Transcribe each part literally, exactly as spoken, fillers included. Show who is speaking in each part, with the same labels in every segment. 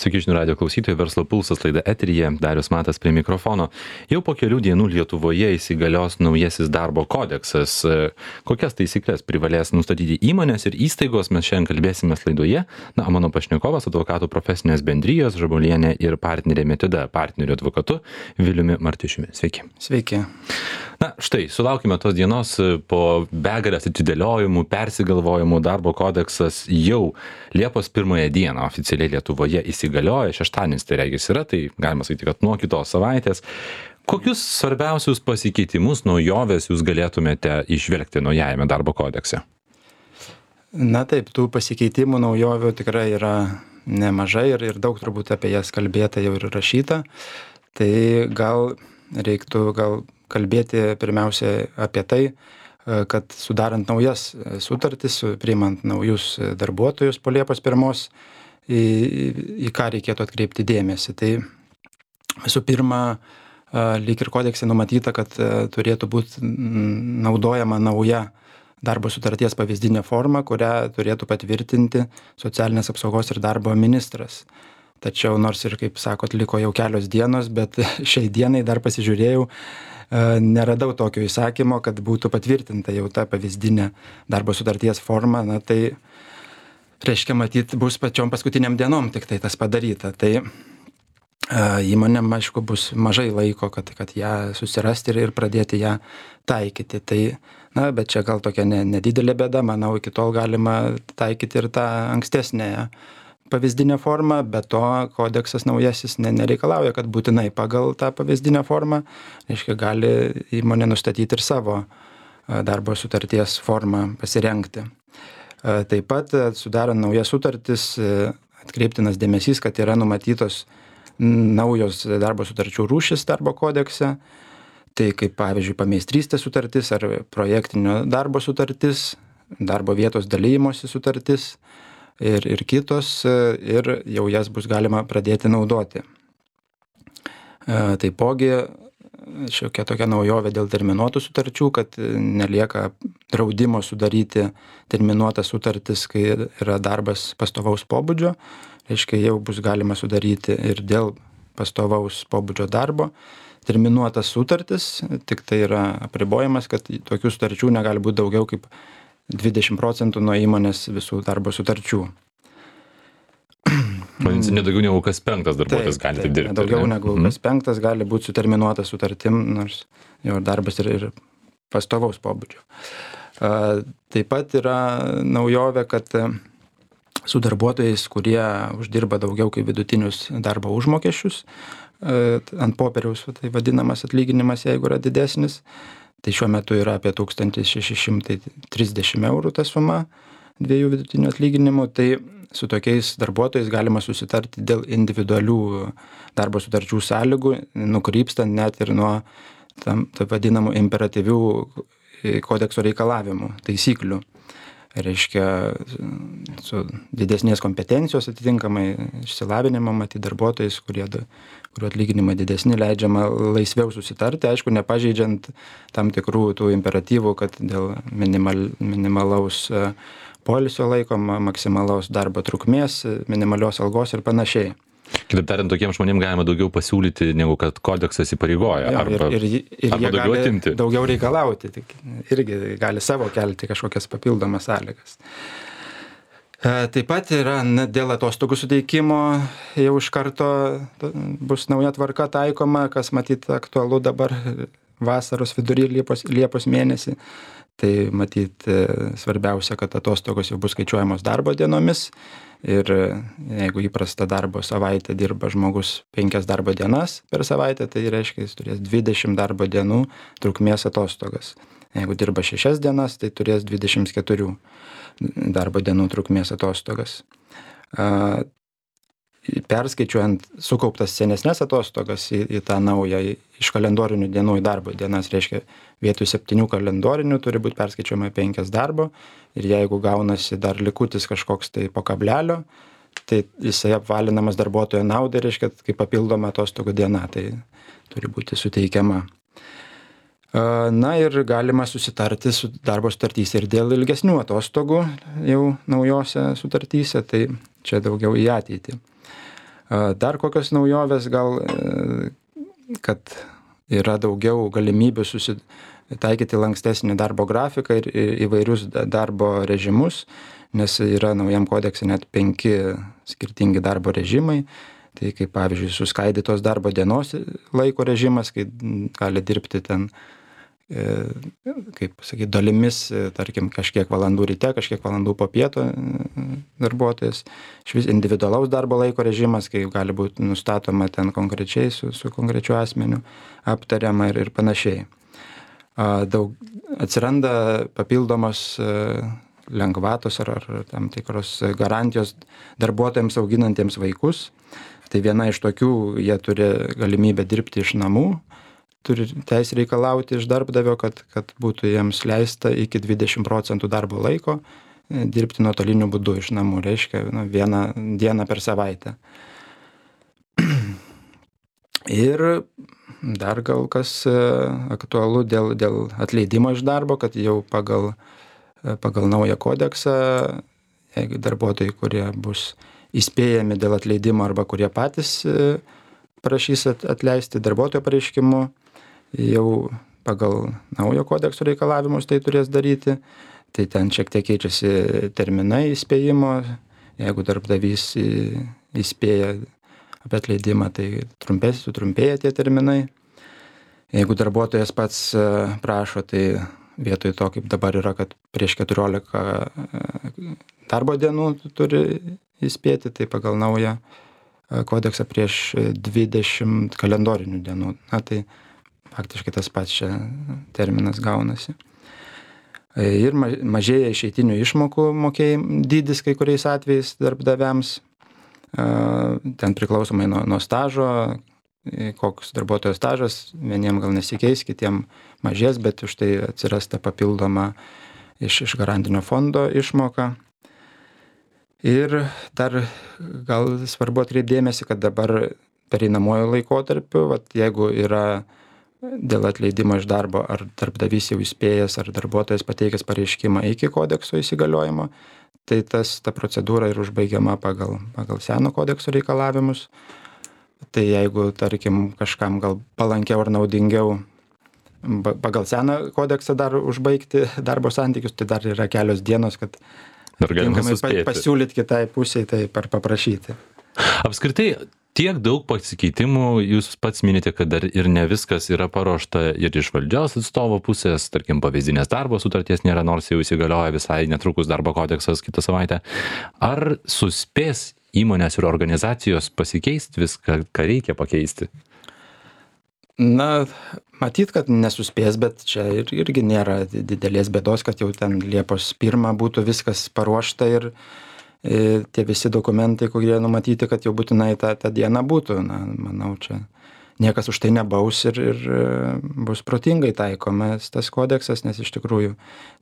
Speaker 1: Sveiki, žinių radijo klausytojai, Verslo pulsas laida eteryje, Darius Matas prie mikrofono. Jau po kelių dienų Lietuvoje įsigalios naujasis darbo kodeksas. Kokias taisyklės privalės nustatyti įmonės ir įstaigos, mes šiandien kalbėsime laidoje. Na, mano pašnekovas, advokatų profesinės bendrijos Žabolienė ir partnerė Metida partnerių advokatu Viliumi Martišiumi. Sveiki.
Speaker 2: Sveiki.
Speaker 1: Na, štai, sulaukime tos dienos po begalės atidėliojimų, persigalvojimų. Darbo kodeksas jau Liepos pirmąją dieną oficialiai Lietuvoje įsigalioja, šeštadienis tai regis yra, tai galima sakyti, kad nuo kitos savaitės. Kokius svarbiausius pasikeitimus, naujovės jūs galėtumėte išvelgti naujajame darbo kodekse?
Speaker 2: Na taip, tų pasikeitimų naujovių tikrai yra nemažai ir, ir daug turbūt apie jas kalbėta jau ir rašyta. Tai gal reiktų gal kalbėti pirmiausia apie tai, kad sudarant naujas sutartis, priimant naujus darbuotojus po Liepos pirmos, į, į ką reikėtų atkreipti dėmesį. Tai visų pirma, lyg ir kodekse numatyta, kad turėtų būti naudojama nauja darbo sutarties pavyzdinė forma, kurią turėtų patvirtinti socialinės apsaugos ir darbo ministras. Tačiau nors ir, kaip sakot, liko jau kelios dienos, bet šiai dienai dar pasižiūrėjau, neradau tokio įsakymo, kad būtų patvirtinta jau ta pavyzdinė darbo sutarties forma. Na tai reiškia, matyt, bus pačiom paskutiniam dienom tik tai tas padaryta. Tai įmonėm, aišku, bus mažai laiko, kad, kad ją susirasti ir, ir pradėti ją taikyti. Tai, na, bet čia gal tokia ne, nedidelė bėda, manau, iki tol galima taikyti ir tą ankstesnę pavyzdinę formą, bet to kodeksas naujasis ne, nereikalauja, kad būtinai pagal tą pavyzdinę formą, reiškia, gali įmonė nustatyti ir savo darbo sutarties formą pasirengti. Taip pat, sudarant naujas sutartis, atkreiptinas dėmesys, kad yra numatytos naujos darbo sutarčių rūšis darbo kodekse, tai kaip pavyzdžiui pameistrystės sutartis ar projektinio darbo sutartis, darbo vietos dalymosi sutartis, Ir, ir kitos, ir jau jas bus galima pradėti naudoti. Taipogi šiokia tokia naujovė dėl terminuotų sutarčių, kad nelieka draudimo sudaryti terminuotas sutartis, kai yra darbas pastovaus pobūdžio. Reiškia, jau bus galima sudaryti ir dėl pastovaus pobūdžio darbo terminuotas sutartis, tik tai yra apribojimas, kad tokių sutarčių negali būti daugiau kaip dvidešimt procentų nuo įmonės visų darbo sutarčių.
Speaker 1: Vadinasi, nedaugiau negu kas penktas darbuotojas gali taip dirbti.
Speaker 2: Daugiau negu kas penktas gali būti suterminuotas sutartim, nors jo darbas ir, ir pastovaus pobūdžio. Taip pat yra naujovė, kad su darbuotojais, kurie uždirba daugiau kaip vidutinius darbo užmokesčius, ant popieriaus tai vadinamas atlyginimas, jeigu yra didesnis, tai šiuo metu yra apie tūkstantis šeši šimtai trisdešimt eurų ta suma dviejų vidutinių atlyginimų. Tai su tokiais darbuotojais galima susitarti dėl individualių darbo sutarčių sąlygų, nukrypstant net ir nuo tam, taip vadinamų imperatyvių kodekso reikalavimų, taisyklių. Reiškia, su didesnės kompetencijos atitinkamai išsilavinimo, matyti darbuotojais, kurie, kurių atlyginimai didesni, leidžiama laisviau susitarti, aišku, nepažeidžiant tam tikrų tų imperatyvų, kad dėl minimal, minimalaus poilsio laiko, maksimalaus darbo trukmės, minimalios algos ir panašiai.
Speaker 1: Kitaip tariant, tokiems žmonėms galima daugiau pasiūlyti, negu kad kodeksas įpareigoja,
Speaker 2: jo,
Speaker 1: arba,
Speaker 2: ir, ir, ir
Speaker 1: arba daugiau atimti.
Speaker 2: Daugiau reikalauti, tik irgi gali savo kelti kažkokias papildomas sąlygas. Taip pat yra dėl atostogų suteikimo jau iš karto bus nauja tvarka taikoma, kas matyt aktualu dabar vasaros vidury Liepos, Liepos mėnesį. Tai matyt svarbiausia, kad atostogos jau bus skaičiuojamos darbo dienomis. Ir jeigu įprasta darbo savaitė dirba žmogus penkias darbo dienas per savaitę, tai reiškia, jis turės dvidešimt darbo dienų trukmės atostogas. Jeigu dirba šešias dienas, tai turės dvidešimt keturių darbo dienų trukmės atostogas. Perskaičiuojant sukauptas senesnės atostogas į, į tą naują, iš kalendorinių dienų į darbo dienas, reiškia, vietoj septynių kalendorinių turi būti perskaičiuojama penkias darbo, ir jeigu gaunasi dar likutis kažkoks tai po kablelio, tai jisai apvalinamas darbuotojo naudai, reiškia, kaip papildoma atostogų diena, tai turi būti suteikiama. Na ir galima susitarti su darbo sutartyse ir dėl ilgesnių atostogų jau naujose sutartyse, tai čia daugiau į ateitį. Dar kokios naujovės gal, kad yra daugiau galimybių susitaikyti lankstesnį darbo grafiką ir įvairius darbo režimus, nes yra naujam kodekse net penki skirtingi darbo režimai. Tai kaip pavyzdžiui suskaidytos darbo dienos laiko režimas, kai gali dirbti ten, kaip sakyti, dalimis, tarkim, kažkiek valandų ryte, kažkiek valandų po pieto darbuotojas. Išvis individualaus darbo laiko režimas, kai gali būti nustatoma ten konkrečiai su, su konkrečiu asmeniu, aptariama ir, ir panašiai. Daug atsiranda papildomos lengvatos ar, ar tam tikros garantijos darbuotojams auginantiems vaikus. Tai viena iš tokių, jie turi galimybę dirbti iš namų, turi teisę reikalauti iš darbdavio, kad, kad būtų jiems leista iki dvidešimt procentų darbo laiko dirbti nuotoliniu būdu iš namų, reiškia nu, vieną dieną per savaitę. Ir dar gal kas aktualu dėl, dėl atleidimo iš darbo, kad jau pagal, pagal naują kodeksą, jeigu darbuotojai, kurie bus įspėjami dėl atleidimo arba kurie patys prašys atleisti darbuotojo pareiškimu, jau pagal naujo kodekso reikalavimus tai turės daryti. Tai ten šiek tiek keičiasi terminai įspėjimo. Jeigu darbdavys įspėja apie atleidimą, tai trumpės, sutrumpėja tie terminai. Jeigu darbuotojas pats prašo, tai vietoj to, kaip dabar yra, kad prieš keturiolika darbo dienų turi įspėti, tai pagal naują kodeksą prieš dvidešimt kalendorinių dienų. Na, tai faktiškai tas pats čia terminas gaunasi. Ir mažėja išeitinių išmokų mokėjimų dydis kai kuriais atvejais darbdaviams. Ten priklausomai nuo, nuo stažo, koks darbuotojo stažas, vieniem gal nesikeis, kitiem mažės, bet už tai atsiras ta papildoma iš, iš garantinio fondo išmoka. Ir dar gal svarbu atkreipdėmėsi, kad dabar pereinamuoju laikotarpiu, vat, jeigu yra dėl atleidimo iš darbo, ar darbdavys jau įspėjęs, ar darbuotojas pateikęs pareiškimą iki kodekso įsigaliojimo, tai tas, ta procedūra ir užbaigiama pagal, pagal seno kodekso reikalavimus. Tai jeigu, tarkim, kažkam gal palankiau ar naudingiau pagal seną kodeksą dar užbaigti darbo santykius, tai dar yra kelios dienos, kad tinkamai pasiūlyti kitai pusiai, tai par paprašyti.
Speaker 1: Apskritai, tiek daug pasikeitimų, jūs pats minite, kad dar ir ne viskas yra paruošta ir iš valdžios atstovo pusės, tarkim, pavyzdinės darbo sutarties nėra, nors jau įsigalioja visai netrukus darbo kodeksas kitą savaitę. Ar suspės įmonės ir organizacijos pasikeisti viską, ką reikia pakeisti?
Speaker 2: Na, matyt, kad nesuspės, bet čia ir, irgi nėra didelės bėdos, kad jau ten Liepos pirmą būtų viskas paruošta ir e, tie visi dokumentai, kurie numatyti, kad jau būtinai tą, tą dieną būtų. Na, manau, čia niekas už tai nebaus ir, ir bus protingai taikomas tas kodeksas, nes iš tikrųjų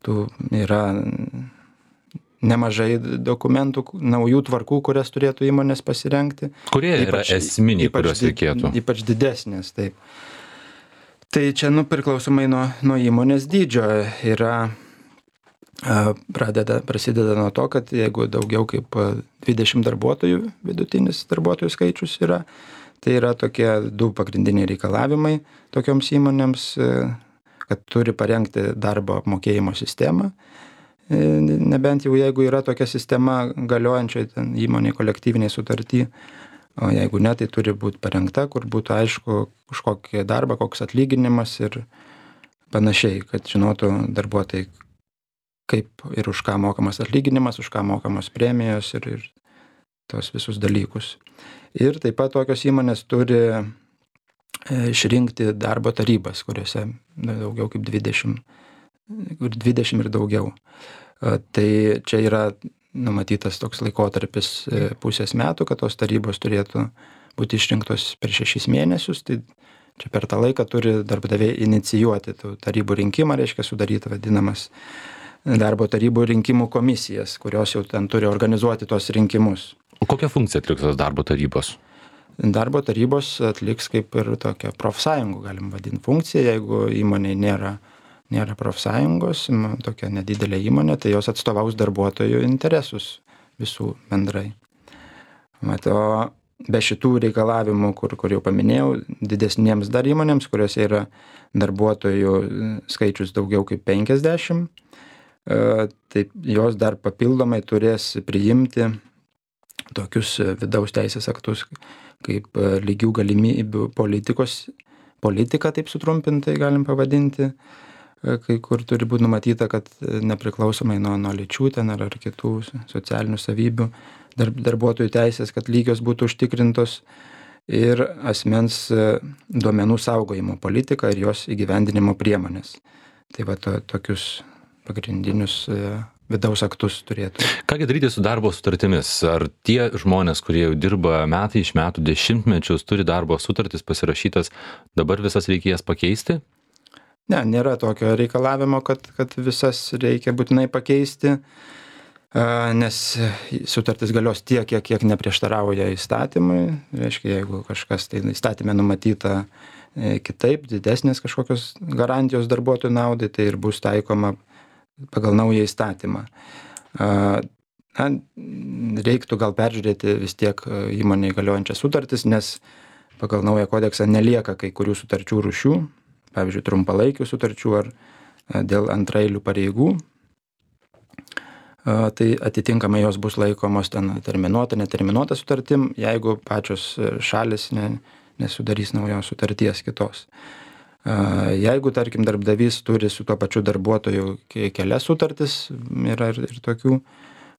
Speaker 2: tų yra nemažai dokumentų, naujų tvarkų, kurias turėtų įmonės pasirengti.
Speaker 1: Kurie yra ypač, esminiai, ypač, kurios reikėtų?
Speaker 2: Ypač didesnės, taip. Tai čia, nu, priklausomai nuo, nuo įmonės dydžio yra, pradeda, prasideda nuo to, kad jeigu daugiau kaip dvidešimt darbuotojų, vidutinis darbuotojų skaičius yra, tai yra tokie du pagrindiniai reikalavimai tokioms įmonėms, kad turi parengti darbo apmokėjimo sistemą. Nebent jau jeigu yra tokia sistema galiojančioje ten įmonėje kolektyviniai sutarty, o jeigu ne, tai turi būti parengta, kur būtų aišku už kokį darbą, koks atlyginimas ir panašiai, kad žinotų darbuotojai, kaip ir už ką mokamas atlyginimas, už ką mokamos premijos ir, ir tos visus dalykus. Ir taip pat tokios įmonės turi išrinkti darbo tarybas, kuriuose daugiau kaip dvidešimt, dvidešimt ir daugiau. Tai čia yra numatytas toks laikotarpis pusės metų, kad tos tarybos turėtų būti išrinktos per šešis mėnesius. Tai čia per tą laiką turi darbdaviai inicijuoti tų tarybų rinkimą, reiškia sudaryti vadinamas darbo tarybų rinkimų komisijas, kurios jau ten turi organizuoti tos rinkimus.
Speaker 1: O kokią funkciją atliks tos darbo tarybos?
Speaker 2: Darbo tarybos atliks kaip ir tokią profsąjungų, galim vadinti, funkciją, jeigu įmonėje nėra nėra profsąjungos, tokia nedidelė įmonė, tai jos atstovaus darbuotojų interesus visų bendrai. Mat, o be šitų reikalavimų, kur, kur jau paminėjau, didesniems dar įmonėms, kuriuose yra darbuotojų skaičius daugiau kaip penkiasdešimt, tai jos dar papildomai turės priimti tokius vidaus teisės aktus kaip lygių galimybių politikos, politika, taip sutrumpintai galim pavadinti, kai kur turi būti numatyta, kad nepriklausomai nuo, nuo lyčių ten ar, ar kitų socialinių savybių dar, darbuotojų teisės, kad lygios būtų užtikrintos, ir asmens duomenų saugojimo politika ir jos įgyvendinimo priemonės. Tai va to, tokius pagrindinius vidaus aktus turėtų.
Speaker 1: Kągi daryti su darbo sutartimis? Ar tie žmonės, kurie jau dirba metai iš metų, dešimtmečius, turi darbo sutartis pasirašytas, dabar visas reikia jas pakeisti?
Speaker 2: Ne, nėra tokio reikalavimo, kad, kad visas reikia būtinai pakeisti, nes sutartis galios tiek, kiek, kiek neprieštarauja įstatymui. Reiškia, jeigu kažkas tai įstatymė numatyta kitaip, didesnės kažkokios garantijos darbuotojų naudai, tai ir bus taikoma pagal naują įstatymą. Na, reiktų gal peržiūrėti vis tiek įmonėje galiojančias sutartis, nes pagal naują kodeksą nelieka kai kurių sutarčių rūšių, pavyzdžiui, trumpalaikių sutarčių ar dėl antraeilių pareigų. Tai atitinkamai jos bus laikomos ten terminuota, neterminuota sutartim, jeigu pačios šalis ne, nesudarys naujos sutarties kitos. Jeigu, tarkim, darbdavys turi su tuo pačiu darbuotoju kelias sutartis, yra ir, ir tokių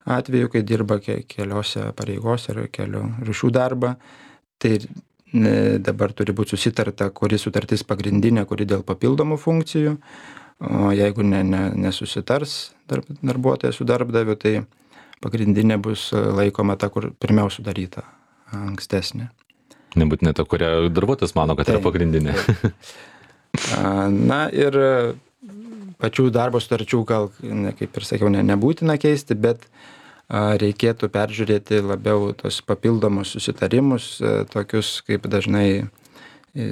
Speaker 2: atvejų, kai dirba keliose pareigose ar kelių rūšių darbą, tai dabar turi būti susitarta, kuri sutartis pagrindinė, kuri dėl papildomų funkcijų, o jeigu ne, ne, nesusitars darb, darbuotojas su darbdaviu, tai pagrindinė bus laikoma ta, kur pirmiau sudaryta, ankstesnė.
Speaker 1: Nebūtinai ta, kurią darbuotojas mano, kad tai yra pagrindinė.
Speaker 2: Tai. Na ir pačių darbo sutarčių, gal, kaip ir sakiau, ne, nebūtina keisti, bet reikėtų peržiūrėti labiau tos papildomus susitarimus, tokius kaip dažnai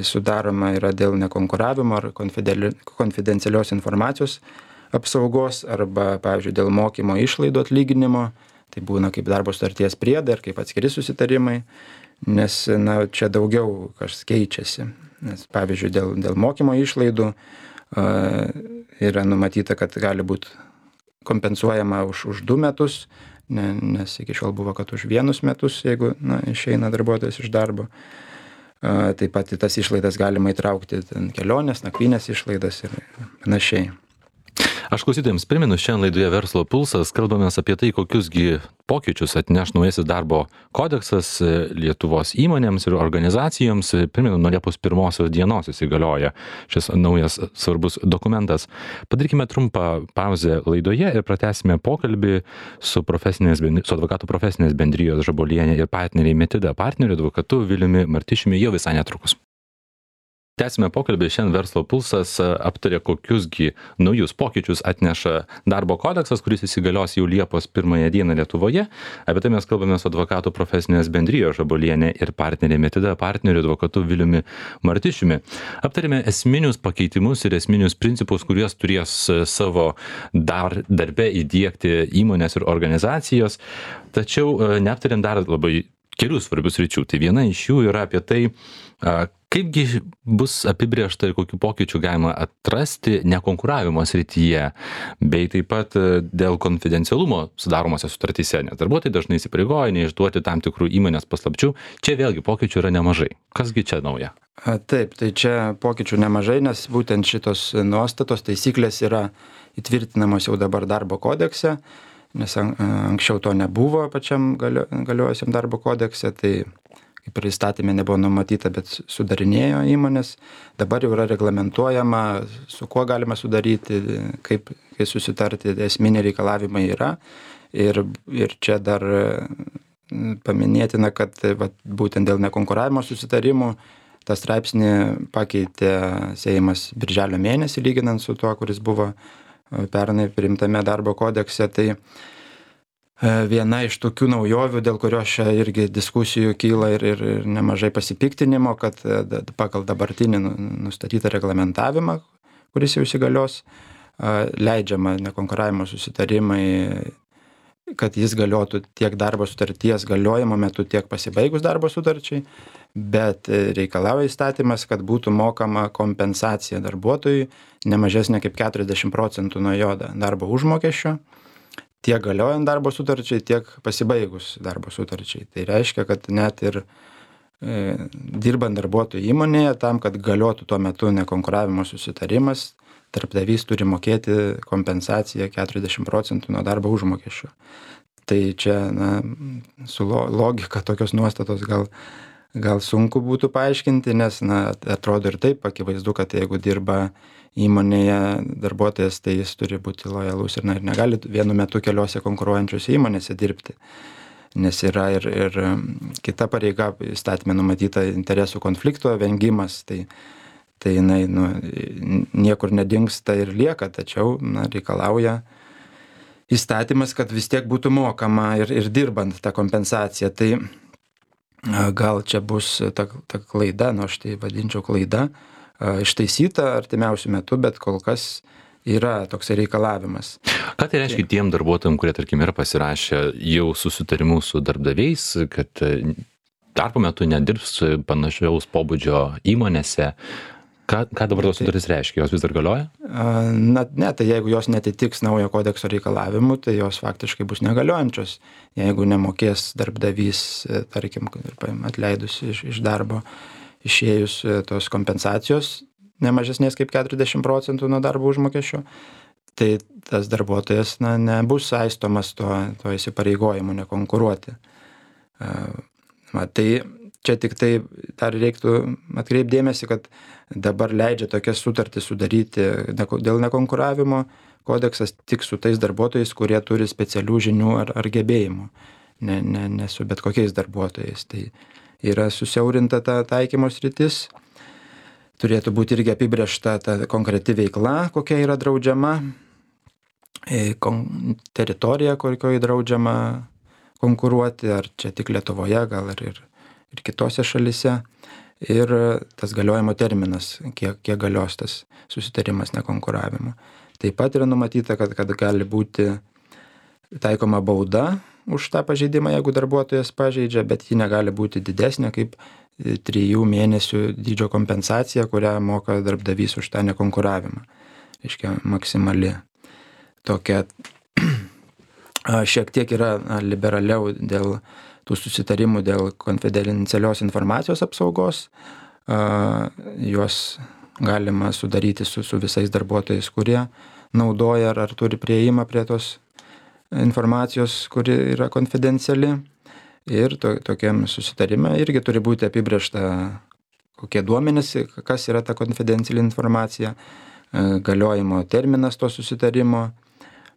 Speaker 2: sudaroma yra dėl nekonkuravimo ar konfidencialios informacijos apsaugos, arba, pavyzdžiui, dėl mokymo išlaidų atlyginimo, tai būna kaip darbo sutarties priedai ar kaip atskiri susitarimai, nes na, čia daugiau kas keičiasi. Nes, pavyzdžiui, dėl, dėl mokymo išlaidų uh, yra numatyta, kad gali būti kompensuojama už, už du metus, ne, nes iki šiol buvo, kad už vienus metus, jeigu na, išeina darbuotojas iš darbo. Uh, taip pat į tas išlaidas galima įtraukti ten, kelionės, nakvynės išlaidas ir panašiai.
Speaker 1: Aš klausytojams primenu, šiandien laidoje Verslo pulsas kalbamės apie tai, kokiusgi pokyčius atneš naujasis darbo kodeksas Lietuvos įmonėms ir organizacijoms. Primenu, nuo Liepos pirmosios dienos įsigalioja šis naujas svarbus dokumentas. Padarykime trumpą pauzę laidoje ir pratęsime pokalbį su, su advokatų profesinės bendrijos Žabolienė ir partneriai Metida partneriu advokatu Viliumi Martišiumi jau visai netrukus. Tęsime pokalbį, šiandien Verslo pulsas aptarė, kokiusgi naujus pokyčius atneša darbo kodeksas, kuris įsigalios jau Liepos pirmąją dieną Lietuvoje. Apie tai mes kalbame su advokatų profesinės bendrijos Žabolienė ir partnerė Metida partneriu advokatu Viliumi Martišiumi. Aptarėme esminius pakeitimus ir esminius principus, kuriuos turės savo dar, darbe įdiegti įmonės ir organizacijos. Tačiau neaptarėm dar labai kelių svarbius ryčių. Tai viena iš jų yra apie tai, kaipgi bus apibrėžta ir kokių pokyčių galima atrasti nekonkuravimo srityje, bei taip pat dėl konfidencialumo sudaromose sutartyse, nes darbuotojai dažnai įsipareigoja neišduoti tam tikrų įmonės paslapčių. Čia vėlgi pokyčių yra nemažai. Kasgi čia nauja?
Speaker 2: Taip, tai čia pokyčių nemažai, nes būtent šitos nuostatos taisyklės yra įtvirtinamos jau dabar darbo kodekse, nes anksčiau to nebuvo pačiam galiojusiam darbo kodekse, tai kaip ir įstatymė nebuvo numatyta, bet sudarinėjo įmonės. Dabar jau yra reglamentuojama, su kuo galima sudaryti, kaip kai susitarti, esminiai reikalavimai yra. Ir, ir čia dar paminėtina, kad va, būtent dėl nekonkuravimo susitarimų tą straipsnį pakeitė Seimas birželio mėnesį, lyginant su tuo, kuris buvo pernai priimtame darbo kodekse. Tai viena iš tokių naujovių, dėl kurios čia irgi diskusijų kyla ir, ir, ir nemažai pasipiktinimo, kad pagal dabartinį nustatytą reglamentavimą, kuris jau įsigalios, leidžiama nekonkuravimo susitarimai kad jis galiotų tiek darbo sutarties galiojimo metu, tiek pasibaigus darbo sutarčiai, bet reikalauja įstatymas, kad būtų mokama kompensacija darbuotojui ne mažesnė kaip keturiasdešimt procentų nuo jo darbo užmokesčio, tiek galiojant darbo sutarčiai, tiek pasibaigus darbo sutarčiai. Tai reiškia, kad net ir e, dirbant darbuotojų įmonėje, tam, kad galiotų tuo metu nekonkuravimo susitarimas, darbdavys turi mokėti kompensaciją keturiasdešimt procentų nuo darbo užmokesčio. Tai čia, na, su logika tokios nuostatos gal, gal sunku būtų paaiškinti, nes, na, atrodo ir taip akivaizdu, kad jeigu dirba įmonėje darbuotojas, tai jis turi būti lojalus ir, na, ir negali vienu metu keliose konkuruojančiose įmonėse dirbti, nes yra ir, ir kita pareiga įstatyme numatyta interesų konflikto vengimas, tai tai jinai, nu, niekur nedingsta ir lieka, tačiau, na, reikalauja įstatymas, kad vis tiek būtų mokama ir, ir dirbant tą kompensaciją. Tai gal čia bus ta, ta klaida, nu, aš tai vadinčiau klaida, ištaisyta artimiausių metų, bet kol kas yra toks reikalavimas.
Speaker 1: Ką tai reiškia tiem darbuotojams, kurie, tarkim, yra pasirašę jau susitarimus su darbdaviais, kad darbo metu nedirbs panašiaus pobūdžio įmonėse? Ką, ką dabar tos sutartys reiškia? Jos vis dar galioja?
Speaker 2: Na, ne, tai jeigu jos netitiks naujo kodekso reikalavimų, tai jos faktiškai bus negaliojančios. Jeigu nemokės darbdavys, tarkim, atleidus iš, iš darbo, išėjus tos kompensacijos nemažesnės kaip keturiasdešimt procentų nuo darbo užmokesčio, tai tas darbuotojas, na, nebus saistomas to, to įsipareigojimu nekonkuruoti. Va, tai čia tik tai dar reiktų atkreipdėmėsi, kad dabar leidžia tokias sutartis sudaryti dėl nekonkuravimo kodeksas tik su tais darbuotojais, kurie turi specialių žinių ar, ar gebėjimų, ne, ne, ne su bet kokiais darbuotojais. Tai yra susiaurinta ta taikymo sritis, turėtų būti irgi apibrėžta ta konkreti veikla, kokia yra draudžiama, teritorija, kokioje draudžiama konkuruoti, ar čia tik Lietuvoje, gal ir, ir ir kitose šalise, ir tas galiojimo terminas, kiek, kiek galios tas susitarimas nekonkuravimo. Taip pat yra numatyta, kad, kad gali būti taikoma bauda už tą pažeidimą, jeigu darbuotojas pažeidžia, bet ji negali būti didesnė kaip trijų mėnesių dydžio kompensacija, kurią moka darbdavys už tą nekonkuravimą. Reiškia, maksimali. Tokia šiek tiek yra liberaliau dėl tų susitarimų dėl konfidencialios informacijos apsaugos. Juos galima sudaryti su, su visais darbuotojais, kurie naudoja ar, ar turi prieimą prie tos informacijos, kuri yra konfidenciali. Ir to, tokiam susitarime irgi turi būti apibrėžta, kokie duomenys, kas yra ta konfidenciali informacija, galiojimo terminas to susitarimo.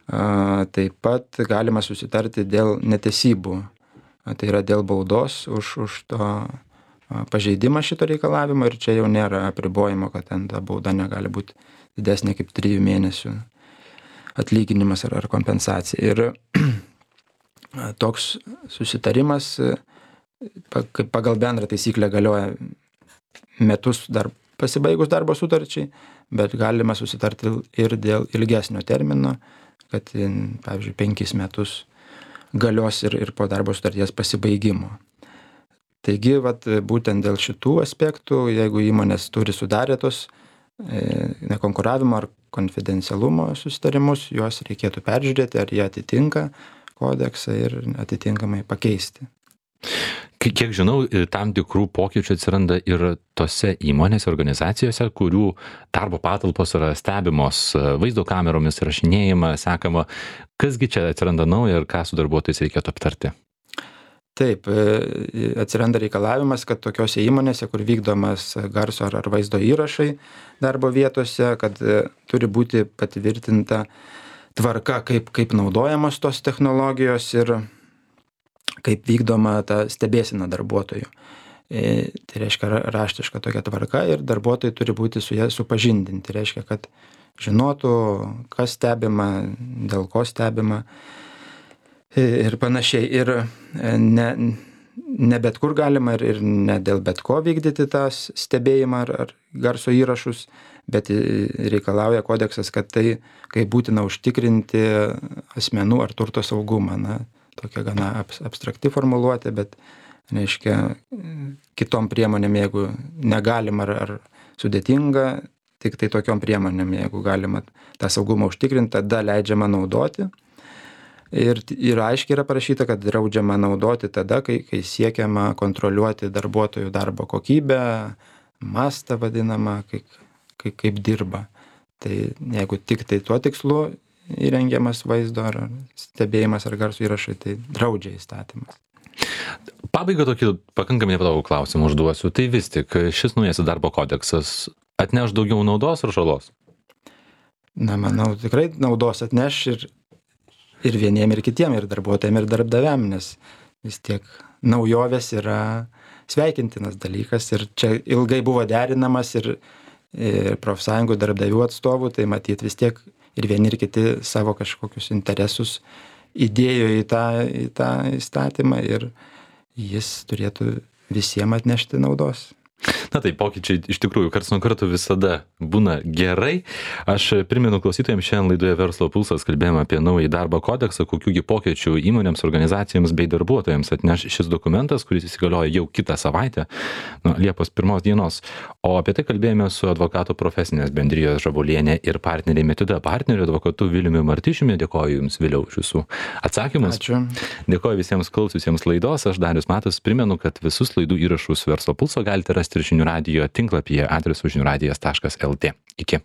Speaker 2: Taip pat galima susitarti dėl netesybų. Tai yra dėl baudos už, už to pažeidimą šito reikalavimo ir čia jau nėra apribojimo, kad ten ta bauda negali būti didesnė kaip trijų mėnesių atlyginimas ar, ar kompensacija. Ir toks susitarimas pagal bendrą taisyklę galioja metus dar pasibaigus darbo sutarčiai, bet galima susitarti ir dėl ilgesnio termino, kad, pavyzdžiui, penkis metus galios ir, ir po darbo sutarties pasibaigimo. Taigi, vat, būtent dėl šitų aspektų, jeigu įmonės turi sudarę tos e, nekonkuravimo ar konfidencialumo susitarimus, juos reikėtų peržiūrėti, ar jie atitinka kodeksą ir atitinkamai pakeisti.
Speaker 1: Kiek žinau, tam tikrų pokyčių atsiranda ir tose įmonėse, organizacijose, kurių darbo patalpos yra stebimos vaizdo kameromis, rašinėjama, sekama. Kasgi čia atsiranda nauja ir ką su darbuotojais reikėtų aptarti?
Speaker 2: Taip, atsiranda reikalavimas, kad tokiose įmonėse, kur vykdomas garso ar vaizdo įrašai darbo vietose, kad turi būti patvirtinta tvarka, kaip, kaip naudojamos tos technologijos ir kaip vykdoma ta stebėsena darbuotojų. E, tai reiškia raštiška tokia tvarka ir darbuotojai turi būti su ja supažindinti. Tai reiškia, kad žinotų, kas stebima, dėl ko stebima ir panašiai. Ir ne, ne bet kur galima ir, ir ne dėl bet ko vykdyti tą stebėjimą ar, ar garso įrašus, bet reikalauja kodeksas, kad tai, kai būtina užtikrinti asmenų ar turto saugumą. Na, tokia gana abstrakti formuluotė, bet, reiškia, kitom priemonėm, jeigu negalima ar, ar sudėtinga, tik tai tokiom priemonėm, jeigu galima tą saugumą užtikrinti, tada leidžiama naudoti. Ir, ir aiškiai yra parašyta, kad draudžiama naudoti tada, kai, kai siekiama kontroliuoti darbuotojų darbo kokybę, mastą vadinamą, kaip, kaip, kaip dirba. Tai jeigu tik tai tuo tikslu įrengiamas vaizdo ar stebėjimas ar garso įrašai, tai draudžia įstatymas.
Speaker 1: Pabaiga tokį pakankamai nepatogų klausimą užduosiu. Tai vis tik šis naujasis darbo kodeksas atneš daugiau naudos ar žalos?
Speaker 2: Na, manau, tikrai naudos atneš ir ir vieniem, ir kitiem, ir darbuotojam, ir darbdaviam, nes vis tiek naujovės yra sveikintinas dalykas ir čia ilgai buvo derinamas ir, ir profsąjungų darbdavių atstovų, tai matyt vis tiek ir vieni ir kiti savo kažkokius interesus įdėjo į tą, į tą įstatymą ir jis turėtų visiems atnešti naudos.
Speaker 1: Na tai pokyčiai iš tikrųjų karts nuo karto visada būna gerai. Aš primenu klausytojams, šiandien laidoje Verslo pulsas kalbėjome apie naują darbo kodeksą, kokiųgi pokyčių įmonėms, organizacijoms bei darbuotojams atneš šis dokumentas, kuris įsigalioja jau kitą savaitę, nuo Liepos pirmos dienos. O apie tai kalbėjome su advokatų profesinės bendrijos Žabulienė ir partneriai Metiuda partneriu advokatu Viliumi Martišiumi. Dėkoju Jums, Viliau, už Jūsų atsakymus.
Speaker 2: Ačiū.
Speaker 1: Dėkoju visiems klausiusiems laidos. Aš Darius Matas primenu, kad visus laidų įrašus Verslo pulso galite rasti ir žinių radijo tinklapyje adresu žinių radijas taškas lt. Iki.